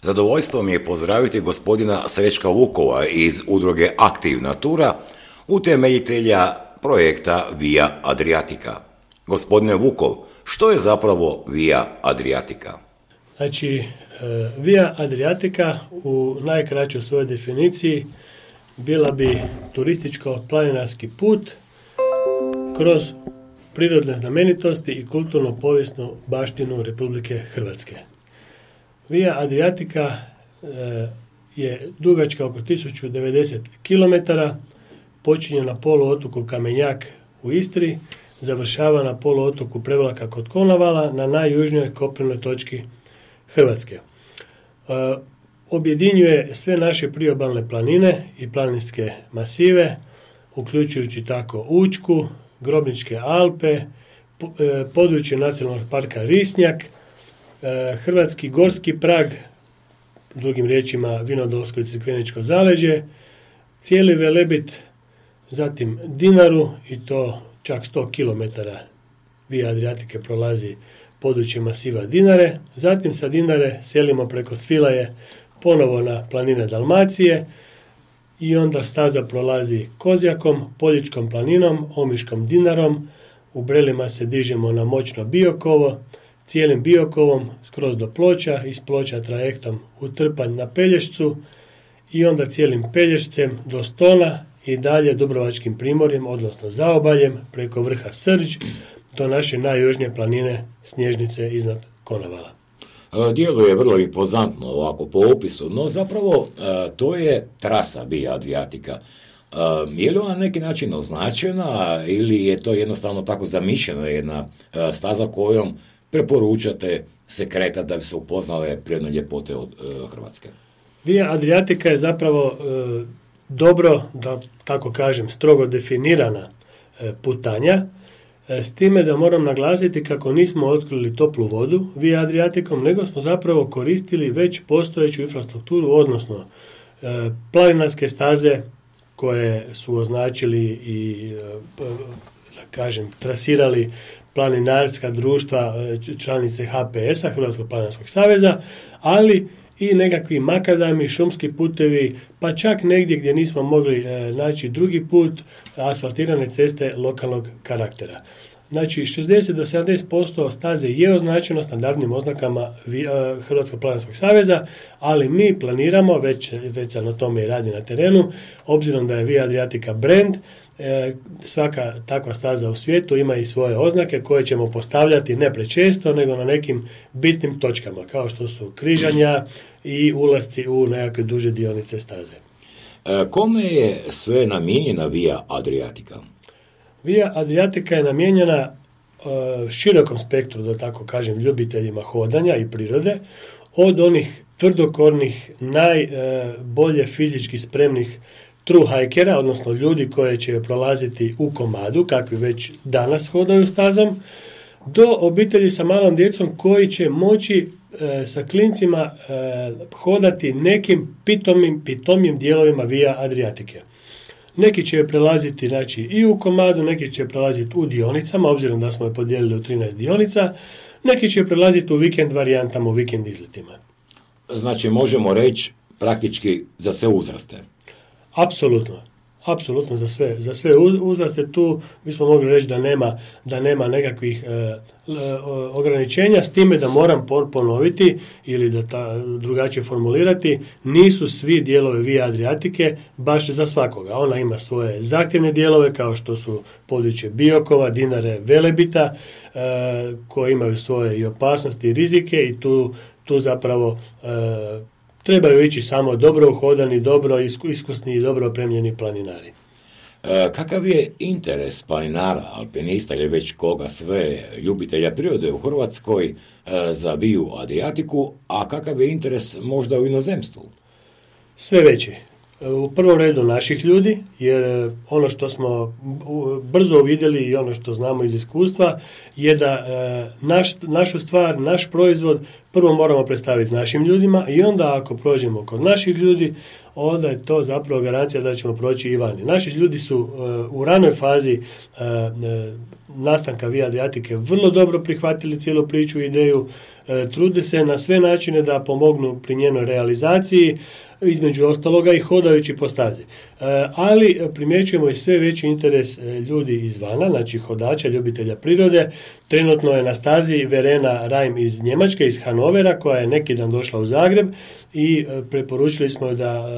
Zadovoljstvo mi je pozdraviti gospodina Srećka Vukova iz udruge Aktiv Natura, utemeljitelja projekta Via Adriatica. Gospodine Vukov, što je zapravo Via Adriatica? Znači, Via Adriatica u najkraćoj svojoj definiciji bila bi turističko-planinarski put kroz prirodne znamenitosti i kulturno-povijesnu baštinu Republike Hrvatske. Via Adriatica je dugačka oko 1090 km, počinje na poluotoku Kamenjak u Istri, završava na poluotoku Prevlaka kod Konavala na najjužnijoj kopnenoj točki Hrvatske. Objedinjuje sve naše priobalne planine i planinske masive, uključujući tako Učku, Grobničke Alpe, područje nacionalnog parka Risnjak, Hrvatski gorski prag, drugim riječima Vinodolsko i Crikveničko zaleđe, cijeli Velebit, zatim Dinaru i to čak 100 km Via Adriatike prolazi područje masiva Dinare, zatim sa Dinare selimo preko Svilaje ponovo na planine Dalmacije i onda staza prolazi Kozjakom, Poljičkom planinom, Omiškom Dinarom, u Brelima se dižemo na moćno Biokovo, cijelim Biokovom skroz do Ploča, iz Ploča trajektom u Trpanj na Pelješcu i onda cijelim Pelješcem do Stona i dalje Dubrovačkim primorjem, odnosno zaobaljem, preko vrha Srđ do naše najjužnije planine Snježnice iznad Konavala. Djeluje vrlo impozantno ovako po opisu, no zapravo to je trasa Via Adriatica. Je li ona na neki način označena ili je to jednostavno tako zamišljena jedna staza kojom preporučate se kretati da bi se upoznale prirodne ljepote od Hrvatske? Via Adriatica je zapravo dobro, da tako kažem, strogo definirana putanja, s time da moram naglasiti kako nismo otkrili toplu vodu Via Adriaticom, nego smo zapravo koristili već postojeću infrastrukturu, odnosno planinarske staze koje su označili i, da kažem, trasirali planinarska društva, članice HPS-a, Hrvatskog planinarskog saveza, ali i nekakvi makadami, šumski putevi, pa čak negdje gdje nismo mogli naći drugi put, asfaltirane ceste lokalnog karaktera. Znači, 60 do 70% staze je označeno standardnim oznakama Hrvatskog planinarskog saveza, ali mi planiramo, već se na tome i radi na terenu, obzirom da je Via Adriatica brand, svaka takva staza u svijetu ima i svoje oznake koje ćemo postavljati ne prečesto, nego na nekim bitnim točkama, kao što su križanja i ulasci u nekakve duže dionice staze. Kome je sve namijenjena Via Adriatica? Via Adriatica je namijenjena širokom spektru, da tako kažem, ljubiteljima hodanja i prirode, od onih tvrdokornih, najbolje fizički spremnih true hikera, odnosno ljudi koji će prolaziti u komadu, kakvi već danas hodaju stazom, do obitelji sa malom djecom koji će moći sa klincima hodati nekim pitomim dijelovima Via Adriatike. Neki će je prelaziti, znači, i u komadu, neki će prelaziti u dionicama, obzirom da smo je podijelili u 13 dionica, neki će prelaziti u vikend varijantama, u vikend izletima. Znači, možemo reći praktički za sve uzraste. Apsolutno za sve uzraste. Tu bismo mogli reći da nema nekakvih ograničenja, s time da moram ponoviti ili drugačije formulirati, nisu svi dijelovi Via Adriatike baš za svakoga. Ona ima svoje zahtjevne dijelove kao što su područje Biokova, Dinare, Velebita, koji imaju svoje i opasnosti i rizike i tu zapravo trebaju ići samo dobro uhodani, dobro iskusni i dobro opremljeni planinari. Kakav je interes planinara, alpinista ili već koga sve ljubitelja prirode u Hrvatskoj za Viu Adriatiku, a kakav je interes možda u inozemstvu? Sve veći. U prvom redu naših ljudi, jer ono što smo brzo uvidjeli i ono što znamo iz iskustva je da našu stvar, naš proizvod prvo moramo predstaviti našim ljudima i onda ako prođemo kod naših ljudi, onda je to zapravo garancija da ćemo proći i vani. Naši ljudi su u ranoj fazi nastanka Via Adriatike vrlo dobro prihvatili cijelu priču i ideju, trude se na sve načine da pomognu pri njenoj realizaciji, između ostaloga i hodajući po stazi. Ali primjećujemo i sve veći interes ljudi izvana, znači hodača, ljubitelja prirode. Trenutno je na stazi Verena Reim iz Njemačke, iz Hanovera, koja je neki dan došla u Zagreb i preporučili smo da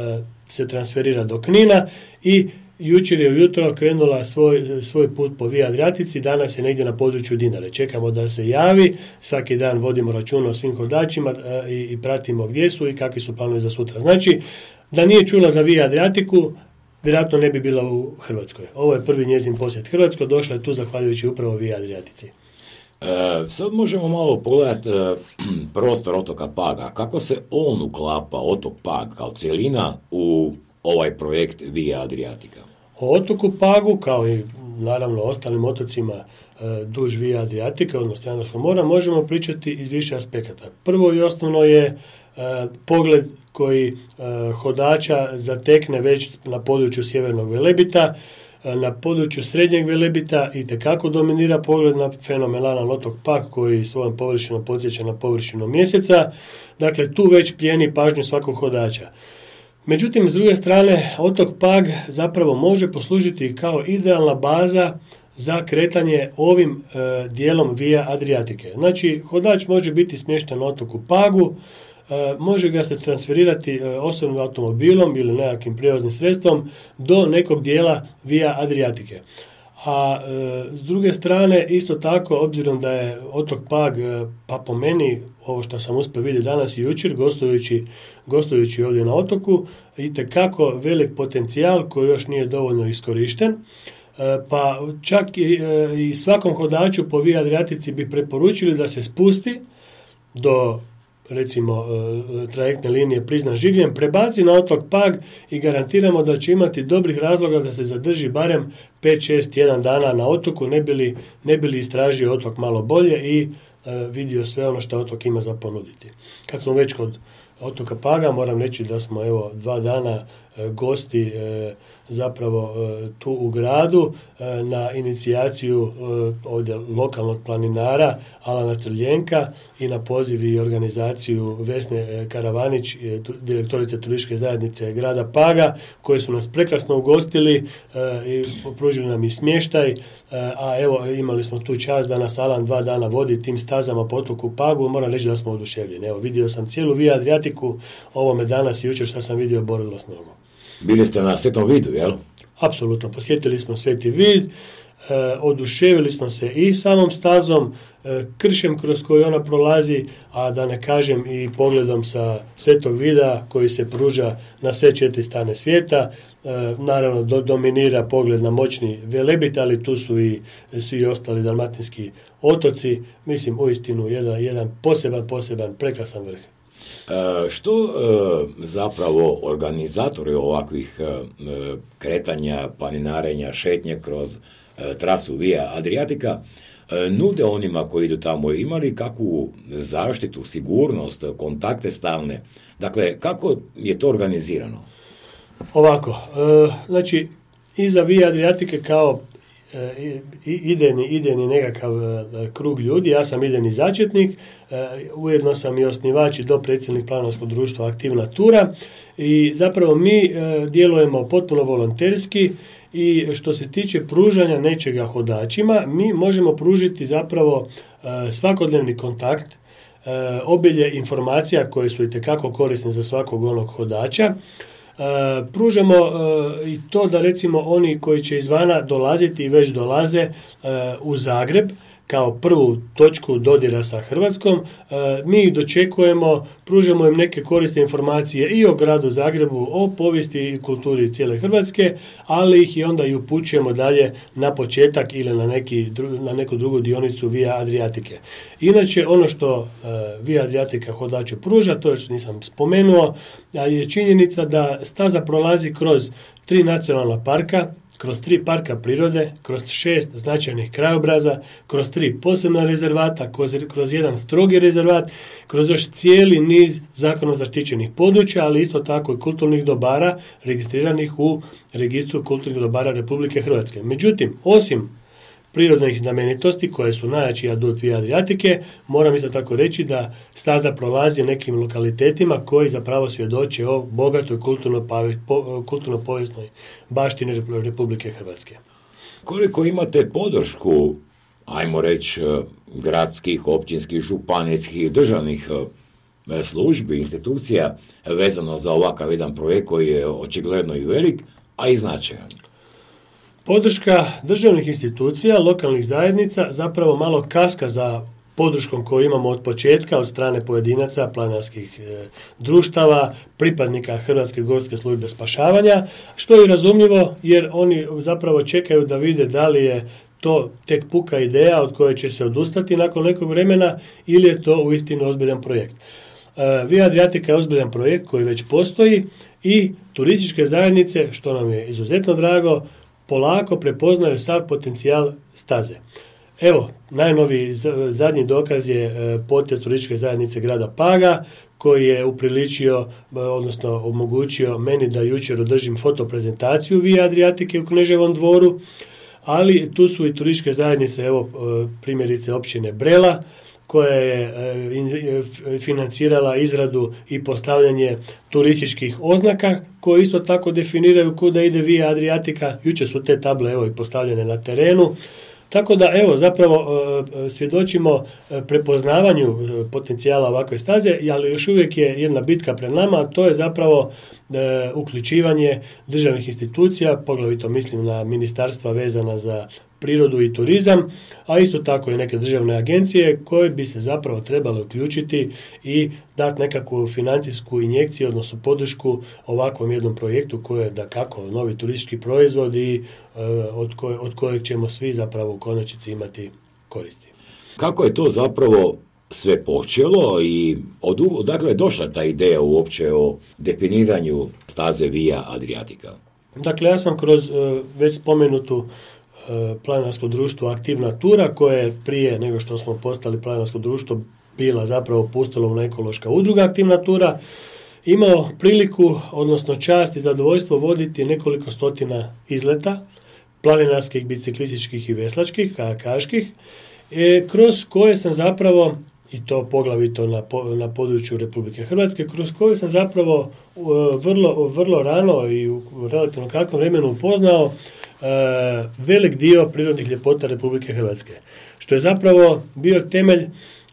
se transferira do Knina i jučer je ujutro krenula svoj put po Via Adriatici, danas je negdje na području Dinare. Čekamo da se javi, svaki dan vodimo računa o svim hodačima i pratimo gdje su i kakvi su planovi za sutra. Znači, da nije čula za Via Adriatiku, vjerojatno ne bi bila u Hrvatskoj. Ovo je prvi njezin posjet Hrvatskoj, došla je tu zahvaljujući upravo Via Adriatici. Sad možemo malo pogledati prostor otoka Paga. Kako se on uklapa, otok Pag, kao cijelina, u ovaj projekt Via Adriatica? O otoku Pagu, kao i naravno ostalim otocima duž Via Adriatica, odnosno Jadranskog mora, možemo pričati iz više aspekata. Prvo i osnovno je pogled koji hodača zatekne već na području Sjevernog Velebita. Na području Srednjeg Velebita itekako dominira pogled na fenomenalan otok Pag koji svojom površinom podsjeća na površinu Mjeseca. Dakle, tu već plijeni pažnju svakog hodača. Međutim, s druge strane, otok Pag zapravo može poslužiti kao idealna baza za kretanje ovim dijelom Via Adriatike. Znači, hodač može biti smješten na otoku Pagu, može ga se transferirati osobnim automobilom ili nekakvim prijevoznim sredstvom do nekog dijela Via Adriatike. A s druge strane, isto tako, obzirom da je otok Pag, pa po meni, ovo što sam uspio vidjeti danas i jučer, gostujući ovdje na otoku, itekako velik potencijal koji još nije dovoljno iskorišten, pa čak i svakom hodaču po Via Adriatici bi preporučili da se spusti do, recimo, trajektne linije Prizna-Žigljen, prebaci na otok Pag i garantiramo da će imati dobrih razloga da se zadrži barem 5-6 dana na otoku, ne bi li istražio otok malo bolje i vidio sve ono što otok ima za ponuditi. Kad smo već kod otoka Paga, moram reći da smo 2 dana gosti zapravo tu u gradu na inicijaciju ovdje lokalnog planinara Alana Trljenka i na poziv i organizaciju Vesne Karavanić, direktorice turističke zajednice grada Paga, koji su nas prekrasno ugostili i pružili nam i smještaj, a evo imali smo tu čast da nas Alan 2 dana vodi tim stazama po otoku Pagu, moram reći da smo oduševljeni. Evo, vidio sam cijelu Via Adriatiku, ovo me danas i jučer što sam vidio borilo s nogom. Bili ste na Svetom Vidu, jel? Apsolutno, posjetili smo Sveti Vid, oduševili smo se i samom stazom, kršem kroz koji ona prolazi, a da ne kažem i pogledom sa Svetog Vida koji se pruža na sve 4 strane svijeta. Naravno, dominira pogled na moćni Velebit, ali tu su i svi ostali dalmatinski otoci. Mislim, uistinu jedan poseban, prekrasan vrh. Što zapravo organizatori ovakvih kretanja, planinarenja, šetnje kroz trasu Via Adriatica nude onima koji idu tamo? Imali kakvu zaštitu, sigurnost, kontakte stalne? Dakle, kako je to organizirano? Ovako, znači, iza Via Adriatike kao idejni nekakav krug ljudi, ja sam idejni začetnik, ujedno sam i osnivač i dopredsjednik Planinarskog društva Aktivna Tura i zapravo mi djelujemo potpuno volonterski i što se tiče pružanja nečega hodačima, mi možemo pružiti zapravo svakodnevni kontakt, obilje informacija koje su itekako korisne za svakog onog hodača. Pružamo i to da recimo oni koji će izvana dolaziti i već dolaze u Zagreb kao prvu točku dodira sa Hrvatskom, mi ih dočekujemo, pružamo im neke korisne informacije i o gradu Zagrebu, o povijesti i kulturi cijele Hrvatske, ali ih i onda i upućujemo dalje na početak ili na neku drugu dionicu Via Adriatike. Inače, ono što Via Adriatica hodaču pruža, to što nisam spomenuo, je činjenica da staza prolazi kroz 3 nacionalna parka, kroz 3 parka prirode, kroz 6 značajnih krajobraza, kroz 3 posebna rezervata, kroz jedan strogi rezervat, kroz još cijeli niz zakonom zaštićenih područja, ali isto tako i kulturnih dobara registriranih u registru kulturnih dobara Republike Hrvatske. Međutim, osim prirodnih znamenitosti koje su najjači adut Via Adriatike, moram isto tako reći da staza prolazi nekim lokalitetima koji zapravo svjedoče o bogatoj kulturno-povijesnoj baštini Republike Hrvatske. Koliko imate podršku, ajmo reći, gradskih, općinskih, županijskih, državnih službi, institucija vezano za ovakav jedan projekt koji je očigledno i velik, a i značajan? Podrška državnih institucija, lokalnih zajednica zapravo malo kaska za podrškom koju imamo od početka od strane pojedinaca, planinarskih društava, pripadnika Hrvatske gorske službe spašavanja, što je razumljivo jer oni zapravo čekaju da vide da li je to tek puka ideja od koje će se odustati nakon nekog vremena ili je to uistinu ozbiljan projekt. Via Adriatica je ozbiljan projekt koji već postoji i turističke zajednice, što nam je izuzetno drago, polako prepoznaju sav potencijal staze. Evo, najnoviji zadnji dokaz je potez turističke zajednice grada Paga, koji je upriličio, odnosno omogućio meni da jučer održim fotoprezentaciju Via Adriatike u Kneževom dvoru, ali tu su i turističke zajednice, evo primjerice općine Brela, koja je financirala izradu i postavljanje turističkih oznaka koje isto tako definiraju kuda ide Via Adriatica. Jučer su te table evo i postavljene na terenu. Tako da evo zapravo svjedočimo prepoznavanju potencijala ovakve staze, ali još uvijek je jedna bitka pred nama, a to je zapravo uključivanje državnih institucija, poglavito mislim na ministarstva vezana za prirodu i turizam, a isto tako i neke državne agencije koje bi se zapravo trebale uključiti i dati nekakvu financijsku injekciju, odnosno podršku ovakvom jednom projektu koji je dakako novi turistički proizvod i od kojeg ćemo svi zapravo u konačnici imati koristi. Kako je to zapravo sve počelo i odakle je došla ta ideja uopće o definiranju staze Via Adriatica? Dakle, ja sam kroz već spomenutu planinarsko društvo Aktivna Tura, koje je prije nego što smo postali planinarsko društvo bila zapravo pustolovna ekološka udruga Aktivna Tura, imao priliku, odnosno čast i zadovoljstvo voditi nekoliko stotina izleta, planinarskih, biciklističkih i veslačkih, kajakaških, kroz koje sam zapravo, i to poglavito na području Republike Hrvatske, kroz koje sam zapravo vrlo rano i u relativno kratkom vremenu upoznao velik dio prirodnih ljepota Republike Hrvatske. Što je zapravo bio temelj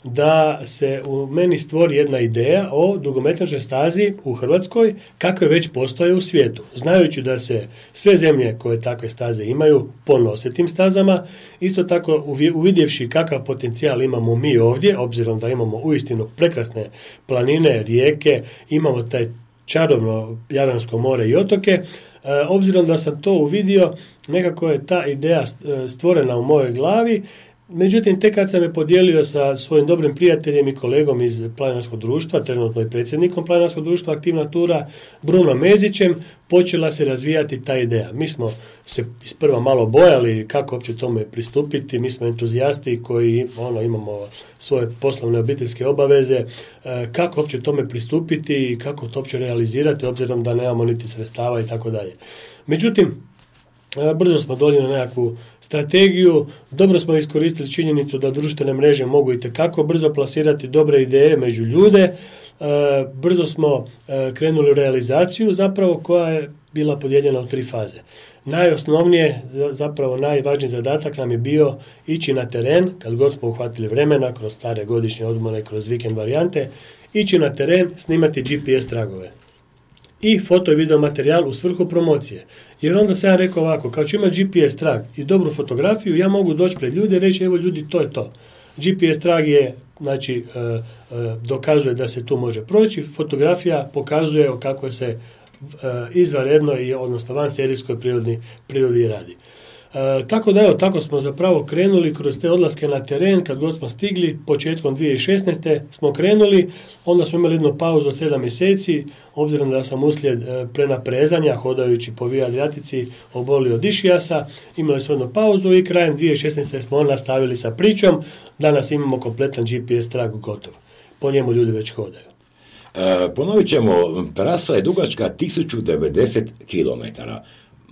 da se u meni stvori jedna ideja o dugometražnoj stazi u Hrvatskoj kakve već postoje u svijetu. Znajući da se sve zemlje koje takve staze imaju ponose tim stazama, isto tako uvidjevši kakav potencijal imamo mi ovdje, obzirom da imamo uistinu prekrasne planine, rijeke, imamo taj čarobno Jadransko more i otoke, obzirom da sam to uvidio, nekako je ta ideja stvorena u mojoj glavi. Međutim, tek kad sam je podijelio sa svojim dobrim prijateljem i kolegom iz planinarskog društva, trenutno i predsjednikom planinarskog društva Aktivna Tura, Bruno Mezićem, počela se razvijati ta ideja. Mi smo se isprva malo bojali kako uopće tome pristupiti, mi smo entuzijasti koji imamo svoje poslovne obiteljske obaveze, kako uopće tome pristupiti i kako to uopće realizirati, obzirom da nemamo niti sredstava i tako dalje. Međutim, brzo smo donijeli nekakvu strategiju, dobro smo iskoristili činjenicu da društvene mreže mogu itekako brzo plasirati dobre ideje među ljude, brzo smo krenuli u realizaciju zapravo koja je bila podijeljena u 3 faze. Najosnovnije, zapravo najvažniji zadatak nam je bio ići na teren, kad god smo uhvatili vremena, kroz stare godišnje odmore, kroz vikend varijante, ići na teren, snimati GPS tragove i foto i video materijal u svrhu promocije. Jer onda sam ja rekao ovako, kao ću imati GPS trag i dobru fotografiju, ja mogu doći pred ljude i reći, evo ljudi, to je to. GPS trag je, znači, dokazuje da se tu može proći, fotografija pokazuje o kako se izvanredno i odnosno van serijskoj prirodi radi. Tako da evo, tako smo zapravo krenuli kroz te odlaske na teren, kad god smo stigli, početkom 2016. smo krenuli, onda smo imali jednu pauzu od 7 mjeseci, obzirom da sam uslijed prenaprezanja, hodajući po Via Adriatici, obolio od išijasa, imali smo jednu pauzu i krajem 2016. smo nastavili sa pričom, danas imamo kompletan GPS trag gotov, po njemu ljudi već hodaju. Ponovit ćemo, trasa je dugačka 1090 km.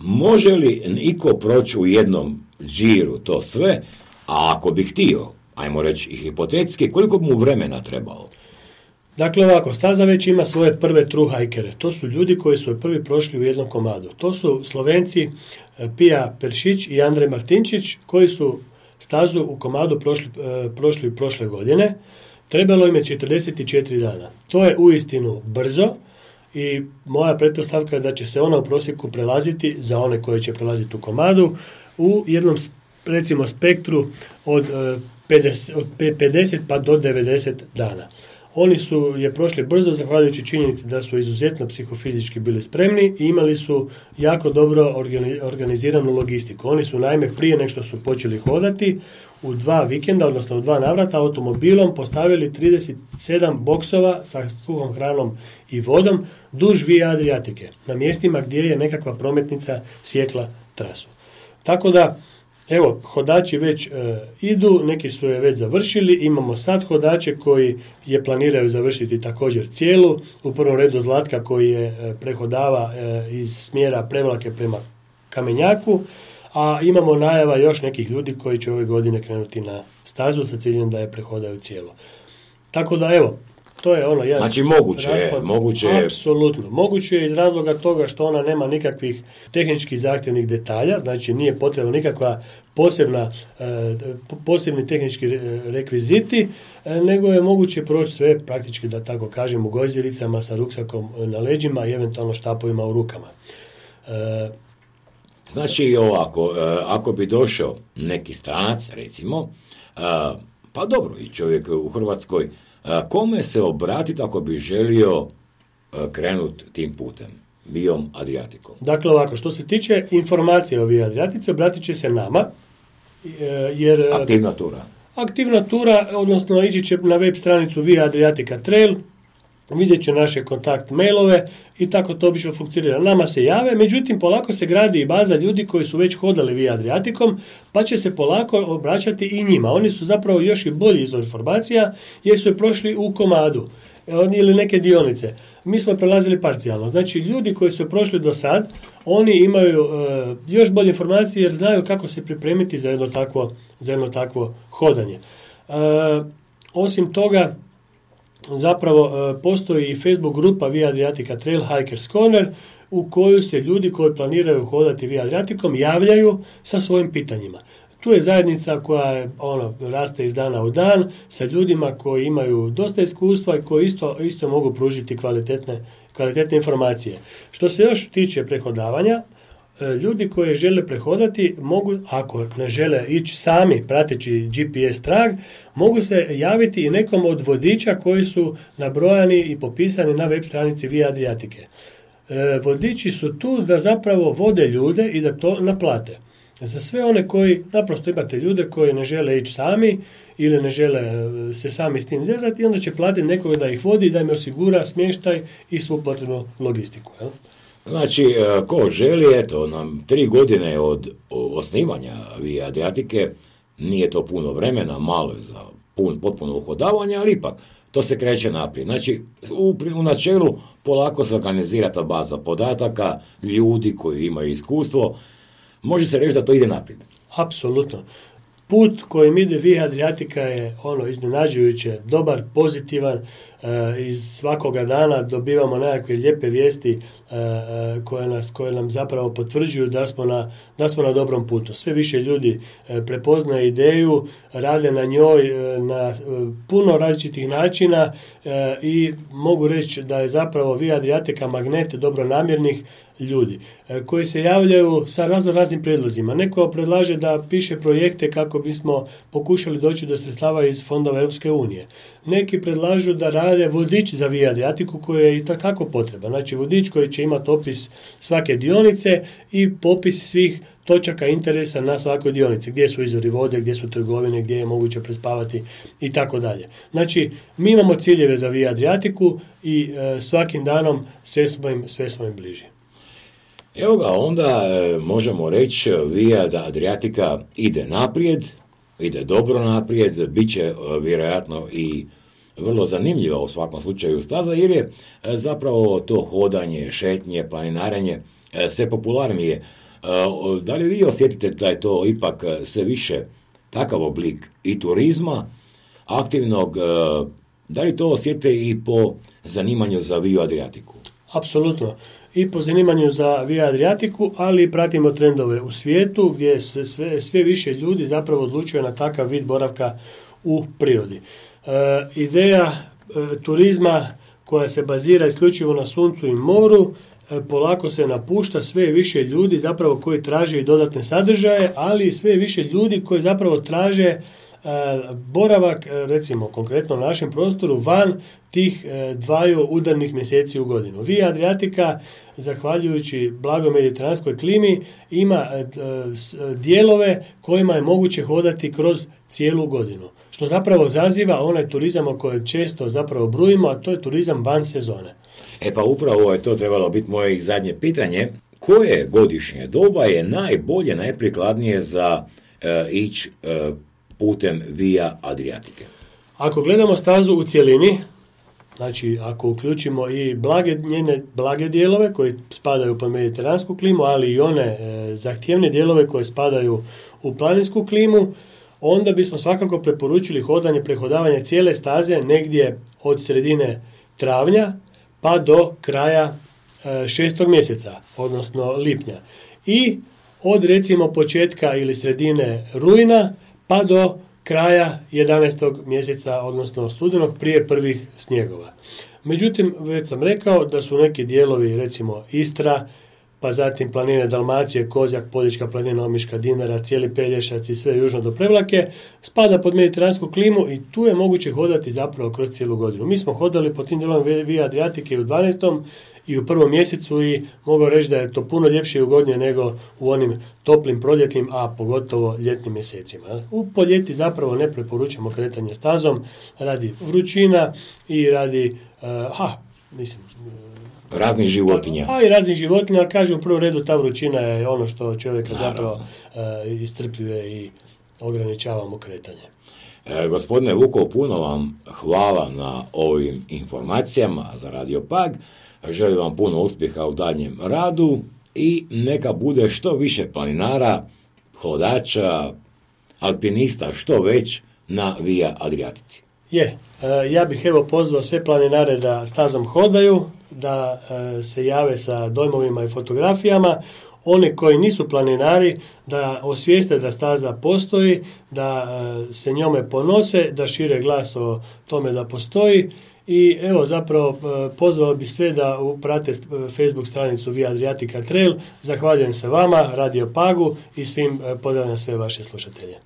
Može li niko proći u jednom džiru to sve, a ako bi htio, ajmo reći i hipotetski, koliko bi mu vremena trebalo? Dakle ovako, staza već ima svoje prve true hikere. To su ljudi koji su prvi prošli u jednom komadu. To su Slovenci Pija Peršić i Andrej Martinčić koji su stazu u komadu prošli prošle godine. Trebalo im je 44 dana. To je uistinu brzo i moja pretpostavka je da će se ona u prosjeku prelaziti za one koji će prelaziti u komadu u jednom, recimo, spektru od 50 pa do 90 dana. Oni su je prošli brzo zahvaljujući činjenici da su izuzetno psihofizički bili spremni i imali su jako dobro organiziranu logistiku. Oni su naime prije nego što su počeli hodati u 2 vikenda, odnosno u 2 navrata automobilom postavili 37 boksova sa suhom hranom i vodom duž Via Adriatike, na mjestima gdje je nekakva prometnica sjekla trasu. Tako da, evo, hodači već idu, neki su je već završili, imamo sad hodače koji je planiraju završiti također cijelu, u prvom redu Zlatka koji je prehodava iz smjera Prevlake prema Kamenjaku, a imamo najava još nekih ljudi koji će ove godine krenuti na stazu sa ciljem da je prehodaju cijelo. Tako da, evo, to je ono jedan... Znači moguće je... Apsolutno. Moguće je iz razloga toga što ona nema nikakvih tehničkih zahtjevnih detalja, znači nije potrebno nikakva posebni tehnički rekviziti, nego je moguće proći sve praktički, da tako kažem, u gojziricama sa ruksakom na leđima i eventualno štapovima u rukama. Znači ovako, ako bi došao neki stranac, recimo, pa dobro, i čovjek u Hrvatskoj, kome se obratiti ako bi želio krenuti tim putem, Viom Adriatikom? Dakle ovako, što se tiče informacije o Via Adriatici, obratit će se nama, jer... Aktivna tura, odnosno ići će na web stranicu Via Adriatica Trail, vidjet će naše kontakt mailove i tako to obično funkcionira. Nama se jave, međutim polako se gradi i baza ljudi koji su već hodali Via Adriatikom, pa će se polako obraćati i njima. Oni su zapravo još i bolji izvor informacija jer su je prošli u komadu ili neke dionice. Mi smo prelazili parcijalno. Znači ljudi koji su prošli do sad, oni imaju još bolje informacije jer znaju kako se pripremiti za jedno takvo hodanje. Osim toga, zapravo postoji i Facebook grupa Via Adriatica Trail Hikers Corner u koju se ljudi koji planiraju hodati Via Adriatikom javljaju sa svojim pitanjima. Tu je zajednica koja raste iz dana u dan sa ljudima koji imaju dosta iskustva i koji isto mogu pružiti kvalitetne informacije. Što se još tiče prehodavanja, ljudi koji žele prehodati mogu, ako ne žele ići sami prateći GPS trag, mogu se javiti i nekom od vodiča koji su nabrojani i popisani na web stranici Via Adriatike. Vodiči su tu da zapravo vode ljude i da to naplate. Za sve one koji, naprosto imate ljude koji ne žele ići sami ili ne žele se sami s tim zezati, onda će platiti nekoga da ih vodi, da im osigura smještaj i svu potrebnu logistiku. Jel? Znači, ko želi, eto, nam 3 godine od osnivanja Via Adriatike, nije to puno vremena, malo je za potpuno uhodavanje, ali ipak, to se kreće naprijed. Znači, u načelu polako se organizira ta baza podataka, ljudi koji imaju iskustvo, može se reći da to ide naprijed. Apsolutno. Put kojim ide Via Adriatica je iznenađujuće, dobar, pozitivan, iz svakoga dana dobivamo nekakve lijepe vijesti koje nam zapravo potvrđuju da smo na dobrom putu. Sve više ljudi prepoznaje ideju, rade na njoj na puno različitih načina i mogu reći da je zapravo Via Adriatica magnet dobronamjernih ljudi koji se javljaju sa raznim prijedlozima. Neko predlaže da piše projekte kako bismo pokušali doći do sredstava iz fondova Europske unije. Neki predlažu da rade vodič za Via Adriatiku koji je i takako potreban. Znači vodič koji će imati opis svake dionice i popis svih točaka interesa na svakoj dionici, gdje su izvori vode, gdje su trgovine, gdje je moguće prespavati i tako dalje. Znači, mi imamo ciljeve za Via Adriatiku i svakim danom sve smo im bliži. Evo ga, onda možemo reći Via Adriatica ide naprijed, ide dobro naprijed, bit će vjerojatno i vrlo zanimljiva u svakom slučaju staza, jer je zapravo to hodanje, šetnje, planinarenje sve popularnije. Da li vi osjetite da je to ipak sve više takav oblik i turizma aktivnog, da li to osjetite i po zanimanju za Via Adriatiku? Apsolutno. I po zanimanju za Via Adriatiku, ali pratimo trendove u svijetu gdje se sve više ljudi zapravo odlučuje na takav vid boravka u prirodi. Ideja turizma koja se bazira isključivo na suncu i moru polako se napušta, sve više ljudi zapravo koji traže i dodatne sadržaje, ali sve više ljudi koji zapravo traže boravak, recimo konkretno u našem prostoru, van tih dvaju udarnih mjeseci u godinu. Via Adriatica, zahvaljujući blagoj mediteranskoj klimi, ima dijelove kojima je moguće hodati kroz cijelu godinu, što zapravo zaziva onaj turizam o kojem često zapravo brujimo, a to je turizam van sezone. Pa upravo je to trebalo biti moje zadnje pitanje. Koje godišnje doba je najbolje, najprikladnije za ići putem Via Adriatike? Ako gledamo stazu u cjelini, znači ako uključimo i njene blage dijelove koji spadaju pod mediteransku klimu, ali i one zahtjevne dijelove koje spadaju u planinsku klimu, onda bismo svakako preporučili prehodavanje cijele staze negdje od sredine travnja pa do kraja 6. mjeseca, odnosno lipnja. I od recimo početka ili sredine rujna pa do kraja 11. mjeseca, odnosno studenog, prije prvih snjegova. Međutim, već sam rekao da su neki dijelovi, recimo Istra, pa zatim planine Dalmacije, Kozjak, Poljička planina, Omiška, Dinara, cijeli Pelješac i sve južno do Prevlake, spada pod mediteransku klimu i tu je moguće hodati zapravo kroz cijelu godinu. Mi smo hodali po tim dijelovima Via Adriatike u 12. i u 1. mjesecu i mogu reći da je to puno ljepše i ugodnije nego u onim toplim proljetnim, a pogotovo ljetnim mjesecima. Po ljeti zapravo ne preporučamo kretanje stazom radi vrućina i radi raznih životinja. I raznih životinja, ali kažem u prvom redu ta vrućina je ono što čovjeka zapravo istrpljuje i ograničava mu kretanje. Gospodine Vukov, puno vam hvala na ovim informacijama za Radio Pag. Želim vam puno uspjeha u daljem radu i neka bude što više planinara, hodača, alpinista, što već na Via Adriatici. Ja bih pozvao sve planinare da stazom hodaju, da se jave sa dojmovima i fotografijama. Oni koji nisu planinari da osvijeste da staza postoji, da se njome ponose, da šire glas o tome da postoji. I zapravo pozvao bi sve da prate Facebook stranicu Via Adriatica Trail. Zahvaljujem se vama, Radio Pagu i svim, pozdravljam sve vaše slušatelje.